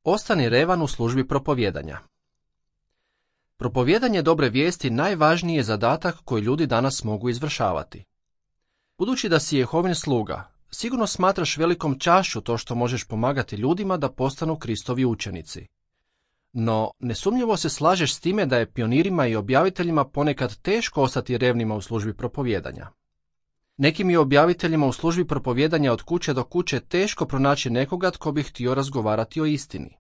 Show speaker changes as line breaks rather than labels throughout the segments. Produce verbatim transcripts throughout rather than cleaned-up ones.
Ostani revan u službi propovijedanja. Propovijedanje dobre vijesti najvažniji je zadatak koji ljudi danas mogu izvršavati. Budući da si Jehovin sluga, sigurno smatraš velikom čašću to što možeš pomagati ljudima da postanu Kristovi učenici. No, nesumnjivo se slažeš s time da je pionirima i objaviteljima ponekad teško ostati revnima u službi propovijedanja. Nekim je objaviteljima u službi propovijedanja od kuće do kuće teško pronaći nekoga tko bi htio razgovarati o istini.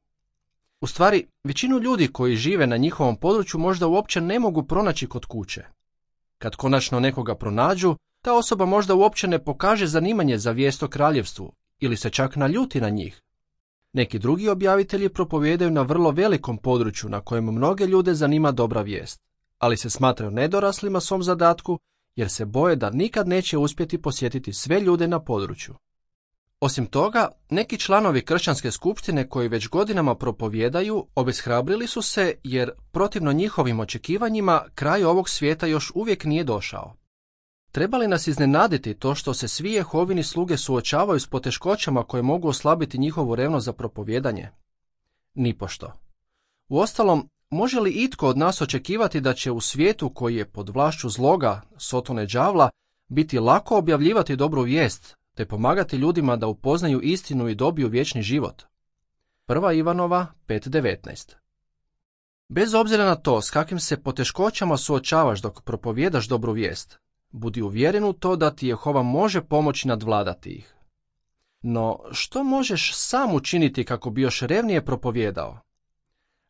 U stvari, većinu ljudi koji žive na njihovom području možda uopće ne mogu pronaći kod kuće. Kad konačno nekoga pronađu, ta osoba možda uopće ne pokaže zanimanje za vijest o kraljevstvu ili se čak naljuti na njih. Neki drugi objavitelji propovijedaju na vrlo velikom području na kojem mnoge ljude zanima dobra vijest, ali se smatraju nedoraslima svom zadatku jer se boje da nikad neće uspjeti posjetiti sve ljude na području. Osim toga, neki članovi kršćanske skupštine koji već godinama propovijedaju obeshrabrili su se jer, protivno njihovim očekivanjima, kraj ovog svijeta još uvijek nije došao. Treba li nas iznenaditi to što se svi Jehovini sluge suočavaju s poteškoćama koje mogu oslabiti njihovu revnost za propovijedanje? Nipošto. Uostalom, može li itko od nas očekivati da će u svijetu koji je pod vlašću zloga, sotone đavla, biti lako objavljivati dobru vijest, te pomagati ljudima da upoznaju istinu i dobiju vječni život? Prva Ivanova pet devetnaest. Bez obzira na to s kakvim se poteškoćama suočavaš dok propovijedaš dobru vijest, budi uvjeren u to da ti Jehova može pomoći nadvladati ih. No, što možeš sam učiniti kako bi još revnije propovijedao?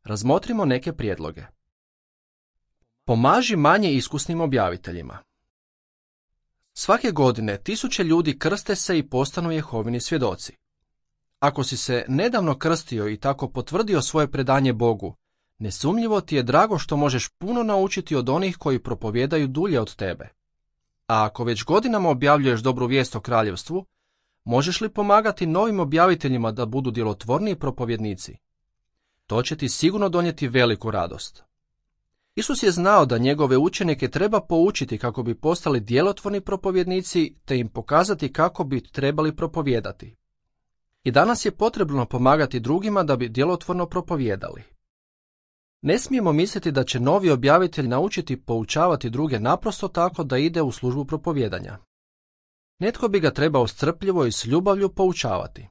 Razmotrimo neke prijedloge. Pomaži manje iskusnim objaviteljima. Svake godine tisuće ljudi krste se i postanu Jehovini svjedoci. Ako si se nedavno krstio i tako potvrdio svoje predanje Bogu, nesumnjivo ti je drago što možeš puno naučiti od onih koji propovijedaju dulje od tebe. A ako već godinama objavljuješ dobru vijest o kraljevstvu, možeš li pomagati novim objaviteljima da budu djelotvorniji propovjednici? To će ti sigurno donijeti veliku radost. Isus je znao da njegove učenike treba poučiti kako bi postali djelotvorni propovjednici te im pokazati kako bi trebali propovijedati. I danas je potrebno pomagati drugima da bi djelotvorno propovijedali. Ne smijemo misliti da će novi objavitelj naučiti poučavati druge naprosto tako da ide u službu propovijedanja. Netko bi ga trebao strpljivo i s ljubavlju poučavati.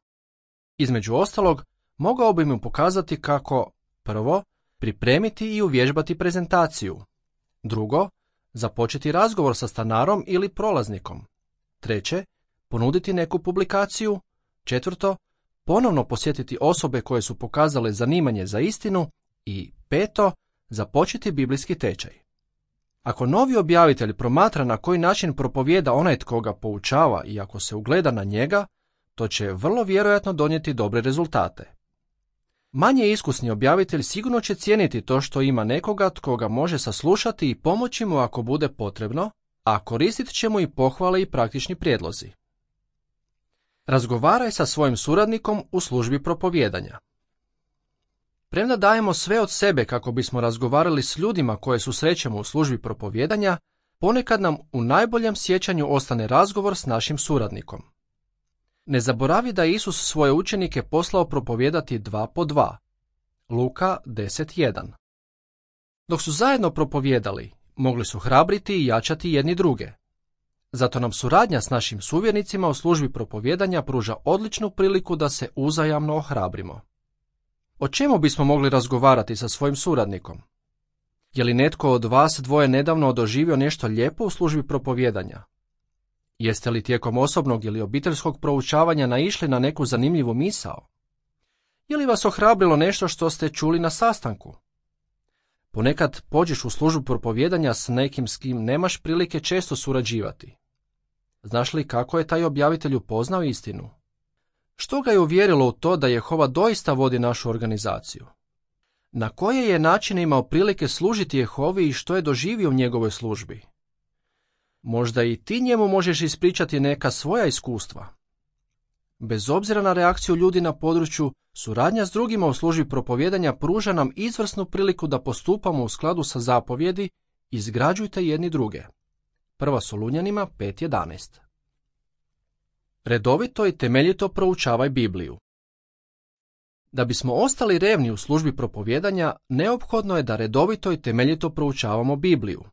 Između ostalog, mogao bi mu pokazati kako, prvo, pripremiti i uvježbati prezentaciju. Drugo, započeti razgovor sa stanarom ili prolaznikom. Treće, ponuditi neku publikaciju. Četvrto, ponovno posjetiti osobe koje su pokazale zanimanje za istinu. I peto, započeti biblijski tečaj. Ako novi objavitelj promatra na koji način propovijeda onaj tko ga poučava i ako se ugleda na njega, to će vrlo vjerojatno donijeti dobre rezultate. Manje iskusni objavitelj sigurno će cijeniti to što ima nekoga tko ga može saslušati i pomoći mu ako bude potrebno, a koristit će mu i pohvale i praktični prijedlozi. Razgovaraj sa svojim suradnikom u službi propovijedanja. Premda dajemo sve od sebe kako bismo razgovarali s ljudima koje susrećemo u službi propovijedanja, ponekad nam u najboljem sjećanju ostane razgovor s našim suradnikom. Ne zaboravi da je Isus svoje učenike poslao propovijedati dva po dva. Luka deset jedan. Dok su zajedno propovijedali, mogli su hrabriti i jačati jedni druge. Zato nam suradnja s našim suvjernicima u službi propovijedanja pruža odličnu priliku da se uzajamno ohrabrimo. O čemu bismo mogli razgovarati sa svojim suradnikom? Je li netko od vas dvoje nedavno doživio nešto lijepo u službi propovijedanja? Jeste li tijekom osobnog ili obiteljskog proučavanja naišli na neku zanimljivu misao? Je li vas ohrabrilo nešto što ste čuli na sastanku? Ponekad pođeš u službu propovijedanja s nekim s kim nemaš prilike često surađivati. Znaš li kako je taj objavitelj upoznao istinu? Što ga je uvjerilo u to da Jehova doista vodi našu organizaciju? Na koje je načine imao prilike služiti Jehovi i što je doživio u njegovoj službi? Možda i ti njemu možeš ispričati neka svoja iskustva. Bez obzira na reakciju ljudi na području, suradnja s drugima u službi propovijedanja pruža nam izvrsnu priliku da postupamo u skladu sa zapovjedi izgrađujte jedni druge. Prva Solunjanima pet jedanaest. Redovito i temeljito proučavaj Bibliju. Da bismo ostali revni u službi propovijedanja, neophodno je da redovito i temeljito proučavamo Bibliju.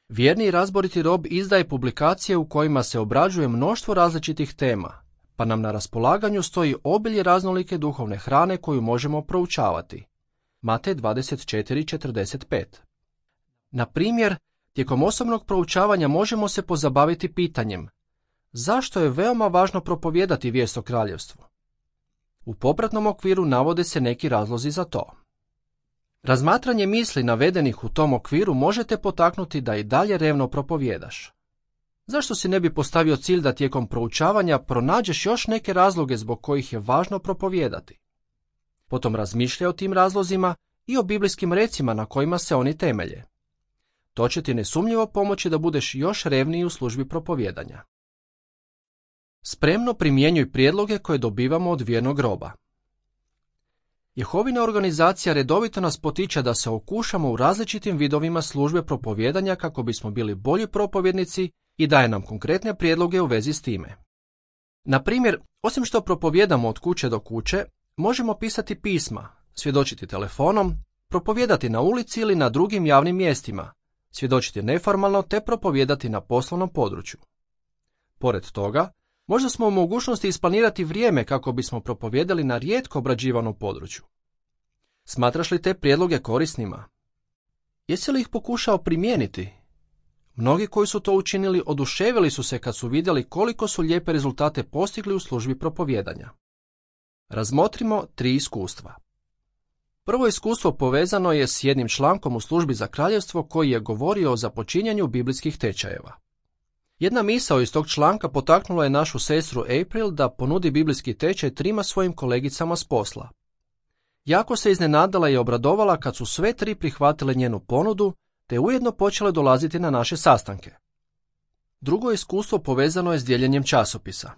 Vjerni i razboriti rob izdaje publikacije u kojima se obrađuje mnoštvo različitih tema, pa nam na raspolaganju stoji obilje raznolike duhovne hrane koju možemo proučavati. Matej dvadeset četiri četrdeset pet. Na primjer, tijekom osobnog proučavanja možemo se pozabaviti pitanjem: zašto je veoma važno propovijedati vijest o kraljevstvu? U popratnom okviru navode se neki razlozi za to. Razmatranje misli navedenih u tom okviru možete potaknuti da i dalje revno propovijedaš. Zašto si ne bi postavio cilj da tijekom proučavanja pronađeš još neke razloge zbog kojih je važno propovijedati? Potom razmišljaj o tim razlozima i o biblijskim recima na kojima se oni temelje. To će ti nesumnjivo pomoći da budeš još revniji u službi propovijedanja. Spremno primjenjuj prijedloge koje dobivamo od vjernog roba. Jehovina organizacija redovito nas potiče da se okušamo u različitim vidovima službe propovijedanja kako bismo bili bolji propovjednici i daje nam konkretne prijedloge u vezi s time. Na primjer, osim što propovijedamo od kuće do kuće, možemo pisati pisma, svjedočiti telefonom, propovijedati na ulici ili na drugim javnim mjestima, svjedočiti neformalno te propovijedati na poslovnom području. Pored toga, možda smo u mogućnosti isplanirati vrijeme kako bismo propovijedali na rijetko obrađivanom području. Smatraš li te prijedloge korisnima? Jesi li ih pokušao primijeniti? Mnogi koji su to učinili oduševili su se kad su vidjeli koliko su lijepe rezultate postigli u službi propovijedanja. Razmotrimo tri iskustva. Prvo iskustvo povezano je s jednim člankom u službi za kraljevstvo koji je govorio o započinjanju biblijskih tečajeva. Jedna misao iz tog članka potaknula je našu sestru April da ponudi biblijski tečaj trima svojim kolegicama s posla. Jako se iznenadala i obradovala kad su sve tri prihvatile njenu ponudu, te ujedno počele dolaziti na naše sastanke. Drugo iskustvo povezano je s dijeljenjem časopisa.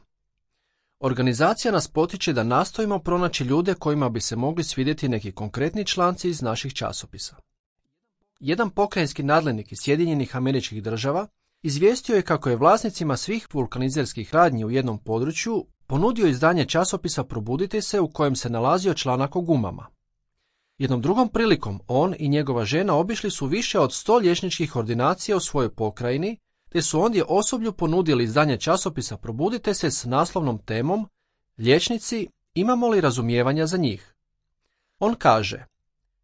Organizacija nas potiče da nastojimo pronaći ljude kojima bi se mogli svidjeti neki konkretni članci iz naših časopisa. Jedan pokrajinski nadležnik iz Sjedinjenih Američkih Država izvijestio je kako je vlasnicima svih vulkanizerskih radnji u jednom području ponudio izdanje časopisa Probudite se u kojem se nalazio članak o gumama. Jednom drugom prilikom on i njegova žena obišli su više od sto liječničkih ordinacija u svojoj pokrajini, te su ondje osoblju ponudili izdanje časopisa Probudite se s naslovnom temom Liječnici, imamo li razumijevanja za njih? On kaže: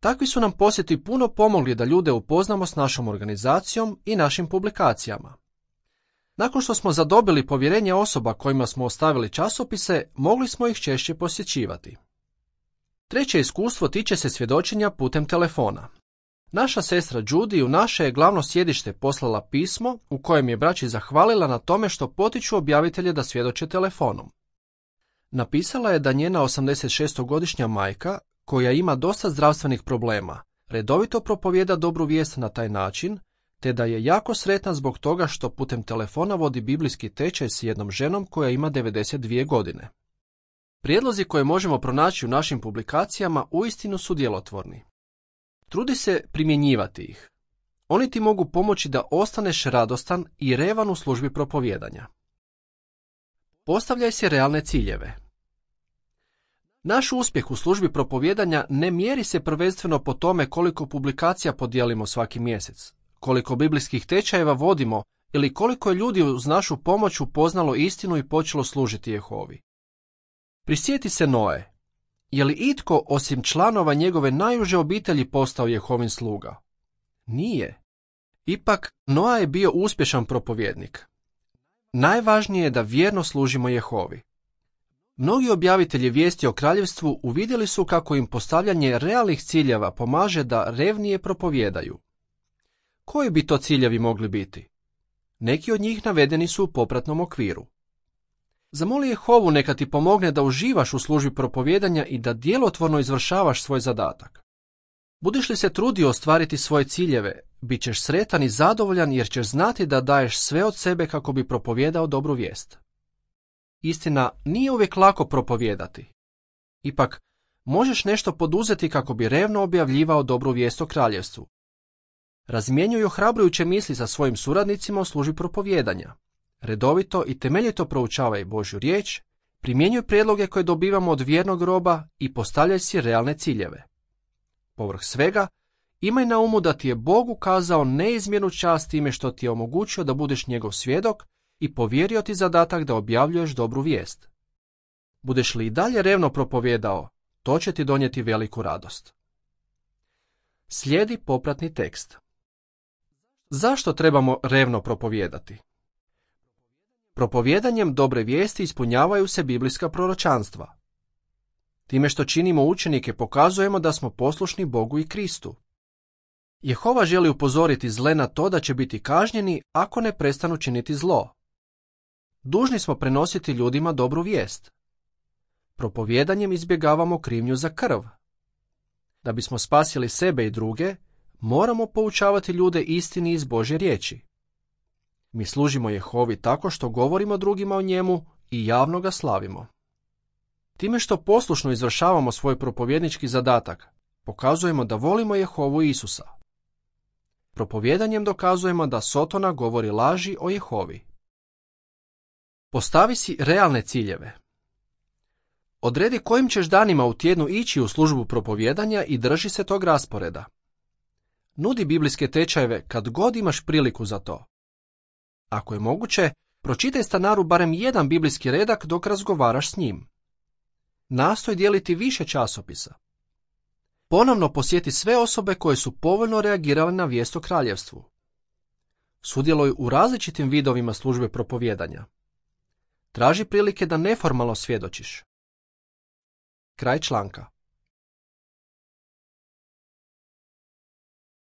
takvi su nam posjeti puno pomogli da ljude upoznamo s našom organizacijom i našim publikacijama. Nakon što smo zadobili povjerenje osoba kojima smo ostavili časopise, mogli smo ih češće posjećivati. Treće iskustvo tiče se svjedočenja putem telefona. Naša sestra Judy u naše je glavno sjedište poslala pismo u kojem je braći zahvalila na tome što potiču objavitelje da svjedoče telefonom. Napisala je da njena osamdesetšestogodišnja majka, koja ima dosta zdravstvenih problema, redovito propovijeda dobru vijest na taj način, te da je jako sretna zbog toga što putem telefona vodi biblijski tečaj s jednom ženom koja ima devedeset dvije godine. Prijedlozi koje možemo pronaći u našim publikacijama uistinu su djelotvorni. Trudi se primjenjivati ih. Oni ti mogu pomoći da ostaneš radostan i revan u službi propovijedanja. Postavljaj si realne ciljeve. Naš uspjeh u službi propovijedanja ne mjeri se prvenstveno po tome koliko publikacija podijelimo svaki mjesec, koliko biblijskih tečajeva vodimo ili koliko je ljudi uz našu pomoć upoznalo istinu i počelo služiti Jehovi. Prisjeti se Noe. Je li itko osim članova njegove najuže obitelji postao Jehovin sluga? Nije. Ipak, Noa je bio uspješan propovjednik. Najvažnije je da vjerno služimo Jehovi. Mnogi objavitelji vijesti o kraljevstvu uvidjeli su kako im postavljanje realnih ciljeva pomaže da revnije propovijedaju. Koji bi to ciljevi mogli biti? Neki od njih navedeni su u popratnom okviru. Zamoli Jehovu neka ti pomogne da uživaš u službi propovijedanja i da djelotvorno izvršavaš svoj zadatak. Budiš li se trudio ostvariti svoje ciljeve, bit ćeš sretan i zadovoljan jer ćeš znati da daješ sve od sebe kako bi propovijedao dobru vijest. Istina, nije uvijek lako propovijedati. Ipak, možeš nešto poduzeti kako bi revno objavljivao dobru vijest o kraljevstvu. Razmjenjuj ohrabrujuće misli sa svojim suradnicima u službi propovijedanja. Redovito i temeljito proučavaj Božju riječ, Primjenjuj prijedloge koje dobivamo od vjernog roba i postavljaj si realne ciljeve. Povrh svega, imaj na umu da ti je Bog ukazao neizmjernu čast time što ti je omogućio da budeš njegov svjedok i povjerio ti zadatak da objavljuješ dobru vijest. Budeš li i dalje revno propovijedao, to će ti donijeti veliku radost. Slijedi popratni tekst. Zašto trebamo revno propovijedati? Propovijedanjem dobre vijesti ispunjavaju se biblijska proročanstva. Time što činimo učenike pokazujemo da smo poslušni Bogu i Kristu. Jehova želi upozoriti zle na to da će biti kažnjeni ako ne prestanu činiti zlo. Dužni smo prenositi ljudima dobru vijest. Propovijedanjem izbjegavamo krivnju za krv. Da bismo spasili sebe i druge, moramo poučavati ljude istini iz Božje riječi. Mi služimo Jehovi tako što govorimo drugima o njemu i javno ga slavimo. Time što poslušno izvršavamo svoj propovjednički zadatak, pokazujemo da volimo Jehovu i Isusa. Propovjedanjem dokazujemo da Sotona govori laži o Jehovi. Postavi si realne ciljeve. Odredi kojim ćeš danima u tjednu ići u službu propovjedanja i drži se tog rasporeda. Nudi biblijske tečajeve kad god imaš priliku za to. Ako je moguće, pročitaj stanaru barem jedan biblijski redak dok razgovaraš s njim. Nastoj dijeliti više časopisa. Ponovno posjeti sve osobe koje su povoljno reagirale na vijest o kraljevstvu. Sudjeluj u različitim vidovima službe propovijedanja. Traži prilike da neformalno svjedočiš. Kraj članka.